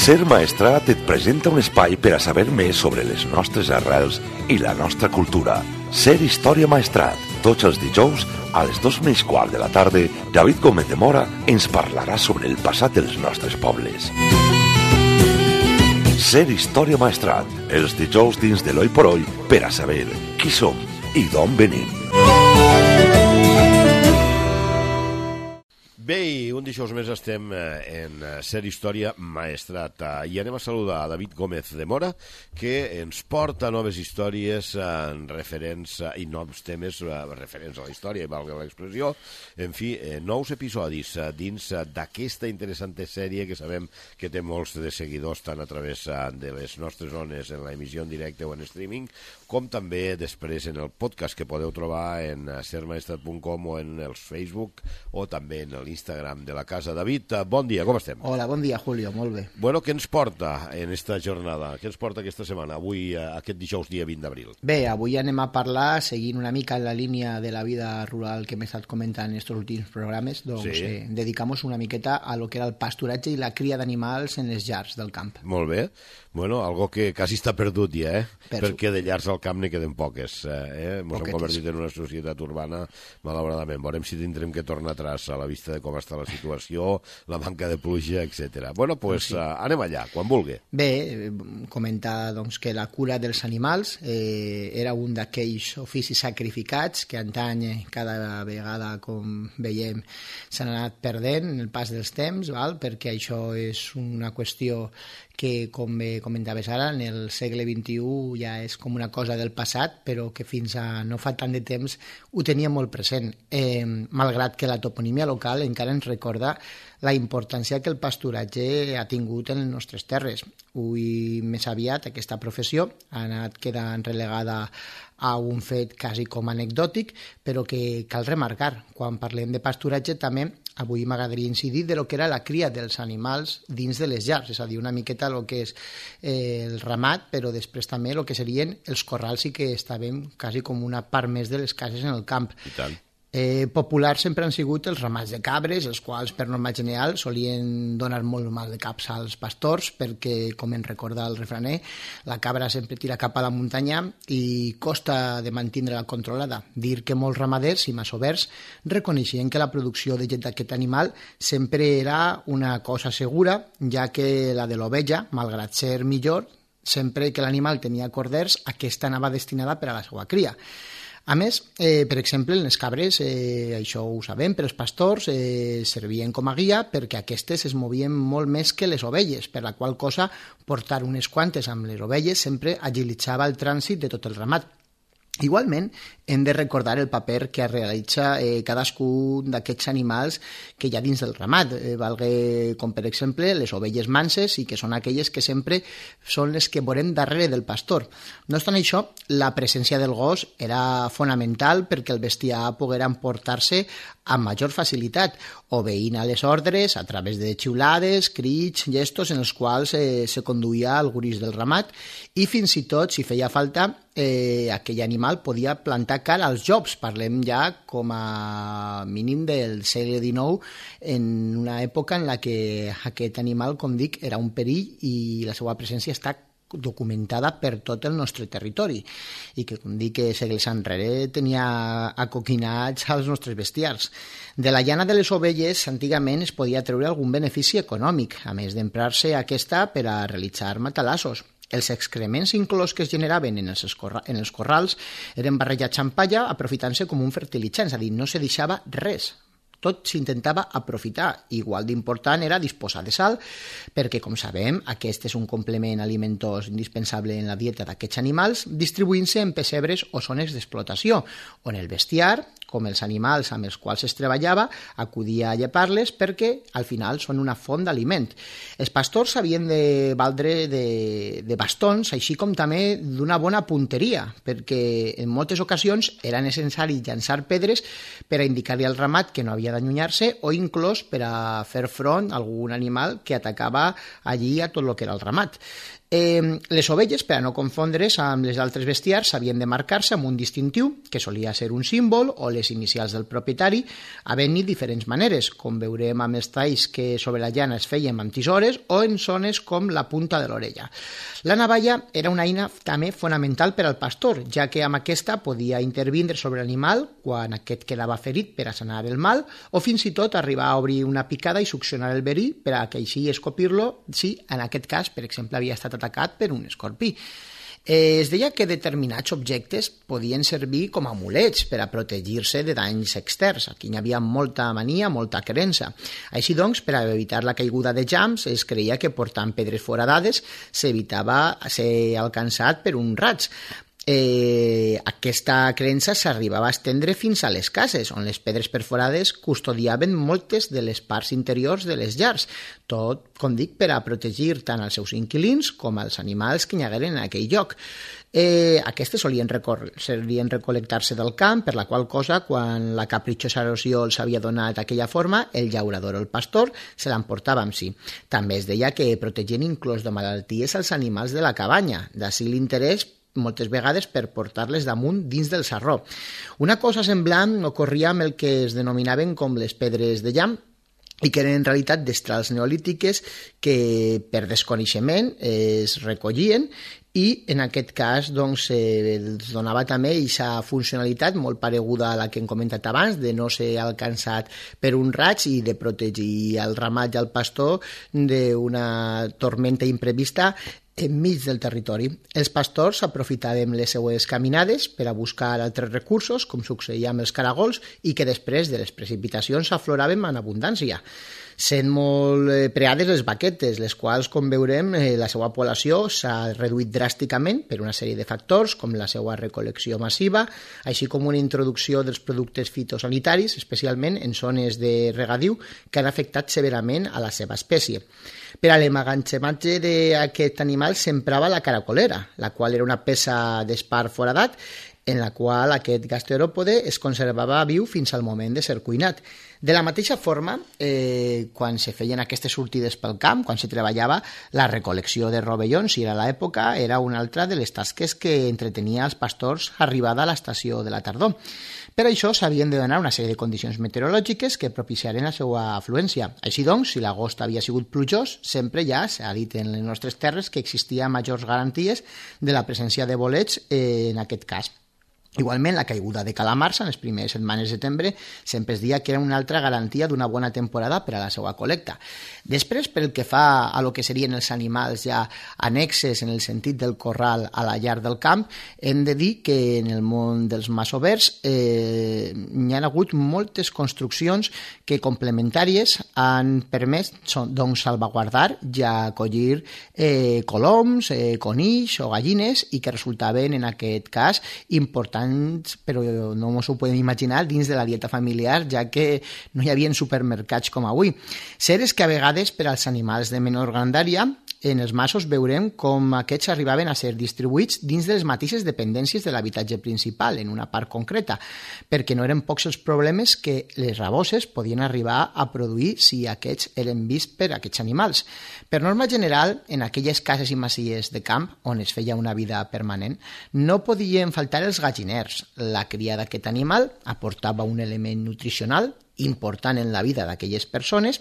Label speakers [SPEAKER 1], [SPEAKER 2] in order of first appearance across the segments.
[SPEAKER 1] Ser Maestrat et presenta un espai per a saber més sobre les nostres arrels i la nostra cultura. Ser Història Maestrat. Tots els dijous, a les 2:15 de la tarda, David Gómez de Mora ens parlarà sobre el passat dels nostres pobles. Ser Història Maestrat. Els dijous dins de l'Oi por Oi per a saber qui som i d'on venim.
[SPEAKER 2] Bé, un dijous més estem en Ser Història Maestrat i anem a saludar a David Gómez de Mora, que ens porta noves històries referents i nous temes referents a la història, valga l'expressió. En fi, nous episodis dins d'aquesta interessant sèrie que sabem que té molts de seguidors tant a través de les nostres zones en l'emissió en directe o en streaming, com també després en el podcast que podeu trobar en sermaestrat.com o en els Facebook o també en l'Instagram de la casa. David, bon dia, com estem?
[SPEAKER 3] Hola, bon dia, Julio, molt bé.
[SPEAKER 2] Bueno, què ens porta en esta jornada? Què ens porta aquesta setmana, avui, aquest dijous, dia 20 d'abril?
[SPEAKER 3] Bé, avui anem a parlar, seguint una mica en la línia de la vida rural que m'he estat comentant en estos últims programes, doncs sí. Dedicamos una miqueta a lo que era el pasturatge i la cria d'animals en les llars del camp.
[SPEAKER 2] Molt bé. Bueno, algo que quasi està perdut ja, perquè de llars al camp n'hi queden poques. Ens hem convertit en una societat urbana, malauradament. Veurem si tindrem que tornar atrás a la vista de com està la situació, la manca de pluja, etc. Bueno, doncs anem allà, quan vulgui.
[SPEAKER 3] Bé, comentar doncs, que la cura dels animals era un d'aquells oficis sacrificats que antany cada vegada, com veiem, s'han anat perdent en el pas dels temps, perquè això és una qüestió que, com bé comentaves ara, en el segle XXI ja és com una cosa del passat, però que fins a no fa tant de temps ho tenia molt present, malgrat que la toponímia local encara ens recorda la importància que el pasturatge ha tingut en les nostres terres. Avui, més aviat, aquesta professió ha anat quedant relegada a un fet quasi com anecdòtic, però que cal remarcar. Quan parlem de pasturatge també avui m'agradaria incidir de lo que era la cria dels animals dins de les llars, és a dir, una miqueta el que és el ramat, però després també el que serien els corrals i que estàvem quasi com una part més de les cases en el camp.
[SPEAKER 2] I tant.
[SPEAKER 3] Populars sempre han sigut els ramats de cabres, els quals per norma general solien donar molt mal de caps als pastors perquè, com ens recorda el refraner, la cabra sempre tira cap a la muntanya i costa de mantenir-la controlada. Dir que molts ramaders i masovers reconeixien que la producció de llet d'aquest animal sempre era una cosa segura, ja que la de l'ovella, malgrat ser millor, sempre que l'animal tenia corders, aquesta anava destinada per a la seva cria. A més, per exemple, en les cabres, això ho sabem, però els pastors servien com a guia perquè aquestes es movien molt més que les ovelles, per la qual cosa portar unes quantes amb les ovelles sempre agilitzava el trànsit de tot el ramat. Igualment, hem de recordar el paper que realitza cadascun d'aquests animals que hi ha dins del ramat, com per exemple les ovelles manses i que són aquelles que sempre són les que veurem darrere del pastor. No obstant això, la presència del gos era fonamental perquè el bestiar poguera emportar-se amb major facilitat, obeint a les ordres a través de xiulades, crits, gestos en els quals se conduïa el gurís del ramat i fins i tot, si feia falta, aquell animal podia plantar cara als jocs. Parlem ja com a mínim del segle XIX, en una època en la que aquest animal, com dic, era un perill i la seva presència està documentada per tot el nostre territori i que, com dic, segles enrere tenia acoquinats als nostres bestiars. De la llana de les ovelles antigament es podia treure algun benefici econòmic, a més d'emprar-se aquesta per a realitzar matalassos. Els excrements inclòs que es generaven en els corrals eren barrejats amb palla aprofitant-se com un fertilitzant, és a dir, no se deixava res. Tot s'intentava aprofitar. Igual d'important era disposar de sal, perquè, com sabem, aquest és un complement alimentós indispensable en la dieta d'aquests animals, distribuint-se en pessebres o zones d'explotació, on el bestiar, com els animals amb els quals es treballava, acudia a llepar-les perquè, al final, són una font d'aliment. Els pastors havien de valdre de bastons, així com també d'una bona punteria, perquè en moltes ocasions era necessari llançar pedres per a indicar-li al ramat que no havia d'allunyar-se o inclús per a fer front a algun animal que atacava allí a tot el que era el ramat. Les ovelles, per a no confondre's amb les altres bestiars, s'havien de marcar-se amb un distintiu, que solia ser un símbol o les inicials del propietari, havent-hi diferents maneres, com veurem amb els talls que sobre la llana es feien amb tisores o en zones com la punta de l'orella. La navalla era una eina també fonamental per al pastor, ja que amb aquesta podia intervindre sobre l'animal quan aquest quedava ferit per a sanar el mal, o fins i tot arribar a obrir una picada i succionar el verí per a que així escopir-lo si en aquest cas, per exemple, havia estat atacat per un escorpí. Es deia que determinats objectes podien servir com a amulets per a protegir-se de danys externs. Aquí hi havia molta mania, molta creença. Així doncs, per a evitar la caiguda de llamps, es creia que portant pedres foradades s'evitava ser alcançat per un raig. Aquesta creença s'arribava a estendre fins a les cases, on les pedres perforades custodiaven moltes de les parts interiors de les llars, tot, com dic, per a protegir tant els seus inquilins com els animals que hi hagueren en aquell lloc. Aquestes solien recol·lectar-se del camp, per la qual cosa, quan la capritxosa erosió els havia donat aquella forma, el llaurador o el pastor se l'emportava amb si. També es deia que protegien inclús de malalties als animals de la cabanya, d'ací l'interès moltes vegades per portar-les damunt dins del sarró. Una cosa semblant ocorria amb el que es denominaven com les pedres de llamp, i que eren en realitat destrals neolítiques que per desconeixement es recollien i en aquest cas doncs, els donava també aquesta funcionalitat molt pareguda a la que hem comentat abans, de no ser alcançat per un raig i de protegir el ramat i el pastor d'una tormenta imprevista enmig del territori. Els pastors aprofitaven les seues caminades per a buscar altres recursos, com succeïa amb els caragols, i que després de les precipitacions afloraven en abundància. Sent molt preades les vaquetes, les quals, com veurem, la seva població s'ha reduït dràsticament per una sèrie de factors, com la seva recol·lecció massiva, així com una introducció dels productes fitosanitaris, especialment en zones de regadiu, que han afectat severament a la seva espècie. Per a l'emmagatzematge d'aquest animal s'emprava la caracolera, la qual era una peça d'espart foradat, en la qual aquest gasteròpode es conservava viu fins al moment de ser cuinat. De la mateixa forma, quan se feien aquestes sortides pel camp, quan se treballava, la recol·lecció de rovellons, si era l'època, era una altra de les tasques que entretenia els pastors arribada a l'estació de la tardor. Per això s'havien de donar una sèrie de condicions meteorològiques que propiciaren la seva afluència. Així doncs, si l'agost havia sigut plujós, sempre ja s'ha dit en les nostres terres que existia majors garanties de la presència de bolets en aquest cas. Igualment, la caiguda de calamars en les primeres setmanes de setembre sempre es deia que era una altra garantia d'una bona temporada per a la seva col·lecta. Després, pel que fa a lo que serien els animals ja annexes en el sentit del corral a la llar del camp, hem de dir que en el món dels masovers hi ha hagut moltes construccions que complementàries han permès doncs, salvaguardar i acollir coloms, conills o gallines i que resultaven en aquest cas importants, però no ens ho podem imaginar dins de la dieta familiar, ja que no hi havia supermercats com avui. Cert és que a vegades per als animals de menor grandària en els masos veurem com aquests arribaven a ser distribuïts dins de les mateixes dependències de l'habitatge principal, en una part concreta, perquè no eren pocs els problemes que les raboses podien arribar a produir si aquests eren vists per aquests animals. Per norma general, en aquelles cases i masies de camp, on es feia una vida permanent, no podien faltar els galliners. La cria d'aquest animal aportava un element nutricional important en la vida d'aquelles persones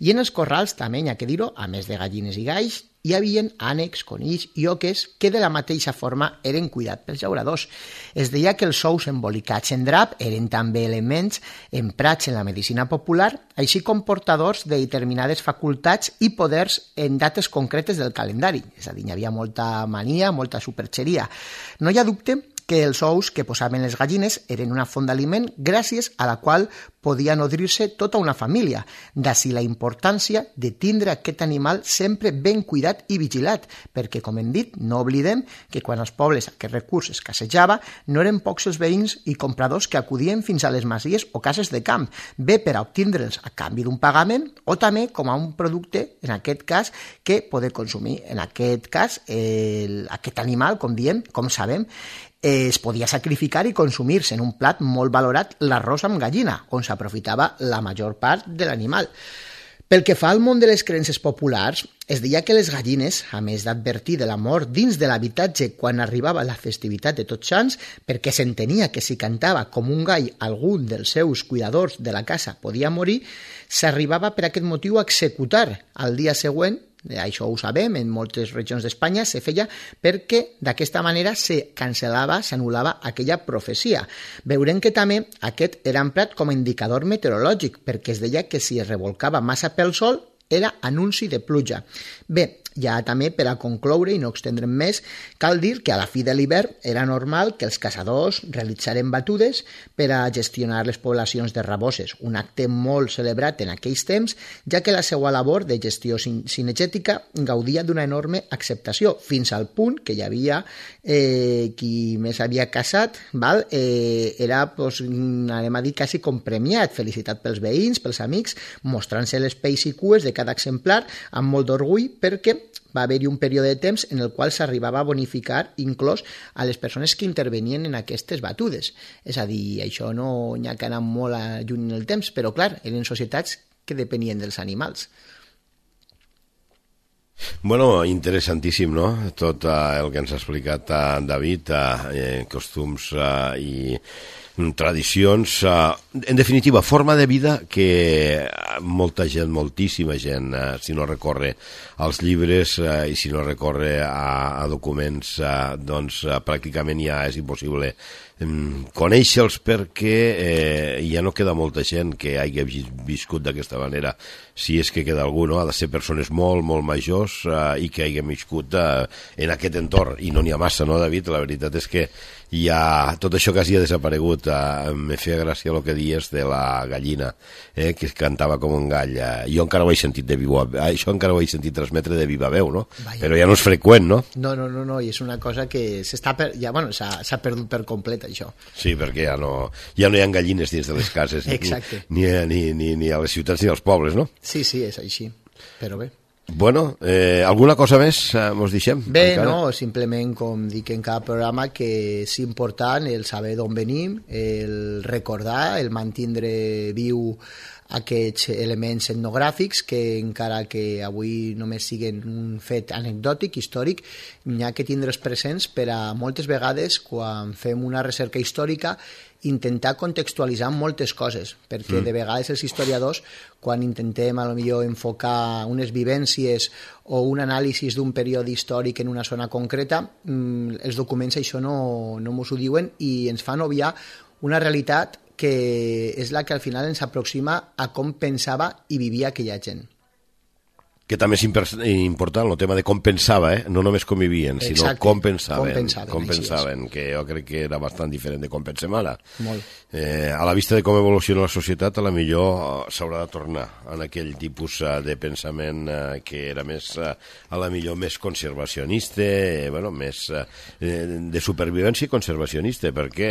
[SPEAKER 3] i en els corrals també, hi ha que dir-ho, a més de gallines i galls, hi havia ànecs, conills i oques que de la mateixa forma eren cuidats pels llauradors. Es deia que els ous embolicats en drap eren també elements emprats en la medicina popular, així com portadors de determinades facultats i poders en dates concretes del calendari. És a dir, hi havia molta mania, molta superxeria. No hi ha dubte que els ous que posaven les gallines eren una font d'aliment gràcies a la qual podia nodrir-se tota una família. D'ací la importància de tindre aquest animal sempre ben cuidat i vigilat, perquè, com hem dit, no oblidem que quan als pobles aquest recurs escassejava, no eren pocs els veïns i compradors que acudien fins a les masies o cases de camp, bé per a obtindre'ls a canvi d'un pagament o també com a un producte, en aquest cas, que poder consumir. En aquest cas, aquest animal, com diem, com sabem, es podia sacrificar i consumir-se en un plat molt valorat l'arròs amb gallina, on s'aprofitava la major part de l'animal. Pel que fa al món de les creences populars, es deia que les gallines, a més d'advertir de la mort dins de l'habitatge quan arribava la festivitat de Tots Sants, perquè s'entenia que si cantava com un gall algun dels seus cuidadors de la casa podia morir, s'arribava per aquest motiu a executar al dia següent. Això ho sabem, en moltes regions d'Espanya se feia perquè d'aquesta manera se cancel·lava, s'anul·lava aquella profecia. Veurem que també aquest era emprat com a indicador meteorològic, perquè es deia que si es revolcava massa pel sol era anunci de pluja. Bé, ja també per a concloure i no extendre'm més, cal dir que a la fi de l'hivern era normal que els caçadors realitzaren batudes per a gestionar les poblacions de raboses, un acte molt celebrat en aquells temps, ja que la seva labor de gestió cinegètica gaudia d'una enorme acceptació, fins al punt que hi havia qui més havia caçat, era, anem a dir, quasi com premiat, felicitat pels veïns, pels amics, mostrant-se les pells i cues de cada exemplar amb molt d'orgull, perquè va haver-hi un període de temps en el qual s'arribava a bonificar inclús a les persones que intervenien en aquestes batudes. És a dir, això no n'hi ha que anar molt lluny en el temps, però clar, eren societats que depenien dels animals.
[SPEAKER 2] Bueno, interessantíssim, no?, tot el que ens ha explicat David, costums i tradicions, en definitiva, forma de vida que molta gent, moltíssima gent, si no recorre als llibres i si no recorre a documents, doncs pràcticament ja és impossible conèixer-los, perquè ja no queda molta gent que hagi viscut d'aquesta manera. Si és que queda algú, no? Ha de ser persones molt, molt majors i que hagin viscut en aquest entorn, i no n'hi ha massa, no, David? La veritat és que ja tot això quasi ha desaparegut. Me feia gràcia el que dies de la gallina, que cantava com un gall. Jo encara ho he sentit això encara ho he sentit transmetre de viva veu, no? Vaya. Però ja no és freqüent, no?
[SPEAKER 3] No, i és una cosa que s'ha perdut per complet, això.
[SPEAKER 2] Sí, perquè ja no hi ha gallines dins de les cases, ni a les ciutats ni als pobles, no?
[SPEAKER 3] Sí, és així, però bé.
[SPEAKER 2] Bueno, alguna cosa més mos deixem?
[SPEAKER 3] Bé, encara? No, simplement, com dic en cada programa, que és important el saber d'on venim, el recordar, el mantindre viu aquests elements etnogràfics que encara que avui només siguin un fet anecdòtic, històric, n'hi ha que tindre's presents per a moltes vegades quan fem una recerca històrica intentar contextualitzar moltes coses, perquè de vegades els historiadors, quan intentem a lo millor enfocar unes vivències o un anàlisi d'un període històric en una zona concreta, els documents això no mos ho diuen i ens fan obviar una realitat que és la que al final ens aproxima a com pensava i vivia aquella gent.
[SPEAKER 2] Que també és important el tema de com pensava, no només com vivien, sinó com pensaven, que jo crec que era bastant diferent de com pensem ara.
[SPEAKER 3] Molt.
[SPEAKER 2] A la vista de com evoluciona la societat, a la millor s'haurà de tornar en aquell tipus de pensament que era més, a la millor, més conservacionista, més de supervivència i conservacionista, perquè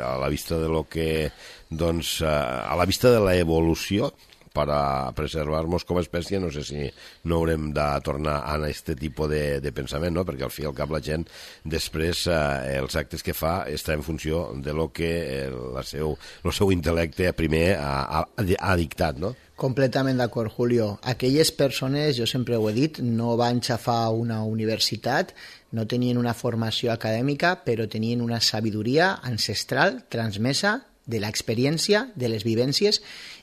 [SPEAKER 2] a la vista de lo que, doncs, a la vista de la evolució, per a preservar-nos com a espècie, no sé si no haurem de tornar a aquest tipus de pensament, no? Perquè al fi i al cap la gent després els actes que fa està en funció de lo que el seu intel·lecte primer ha dictat, no?
[SPEAKER 3] Completament d'acord, Julio. Aquelles persones, jo sempre ho he dit, no van xafar una universitat, no tenien una formació acadèmica, però tenien una sabidoria ancestral transmesa de l'experiència, de les vivències,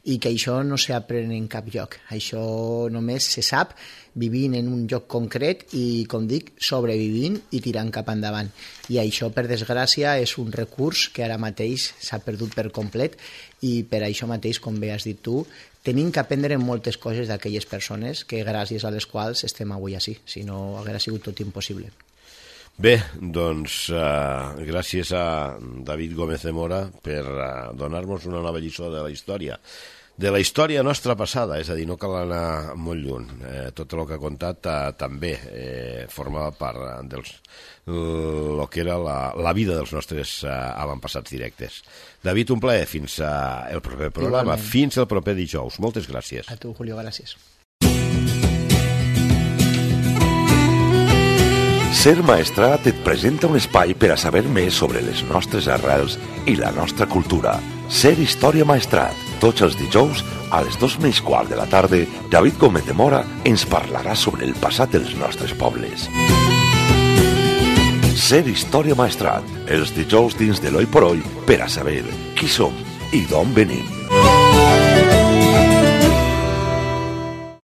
[SPEAKER 3] i que això no s'aprèn en cap lloc. Això només se sap vivint en un lloc concret i, com dic, sobrevivint i tirant cap endavant. I això, per desgràcia, és un recurs que ara mateix s'ha perdut per complet i per això mateix, com bé has dit tu, tenim que aprendre moltes coses d'aquelles persones que gràcies a les quals estem avui així, si no hauria sigut tot impossible.
[SPEAKER 2] Bé, doncs gràcies a David Gómez de Mora per donar-nos una nova lliçó de la història nostra passada, és a dir, no cal anar molt lluny. Tot el que ha contat també formava part del que era la vida dels nostres avantpassats directes. David, un plaer. Fins el proper programa. Igualment. Fins el proper dijous. Moltes gràcies.
[SPEAKER 3] A tu, Julio, gràcies.
[SPEAKER 1] Ser Maestrat et presenta un espai per a saber més sobre les nostres arrels i la nostra cultura. Ser Història Maestrat. Tots els dijous, a les 2:15 de la tarda, David Gómez de Mora ens parlarà sobre el passat dels nostres pobles. Ser Història Maestrat, els dijous dins de l'Oi por Oi, per a saber qui som i d'on venim.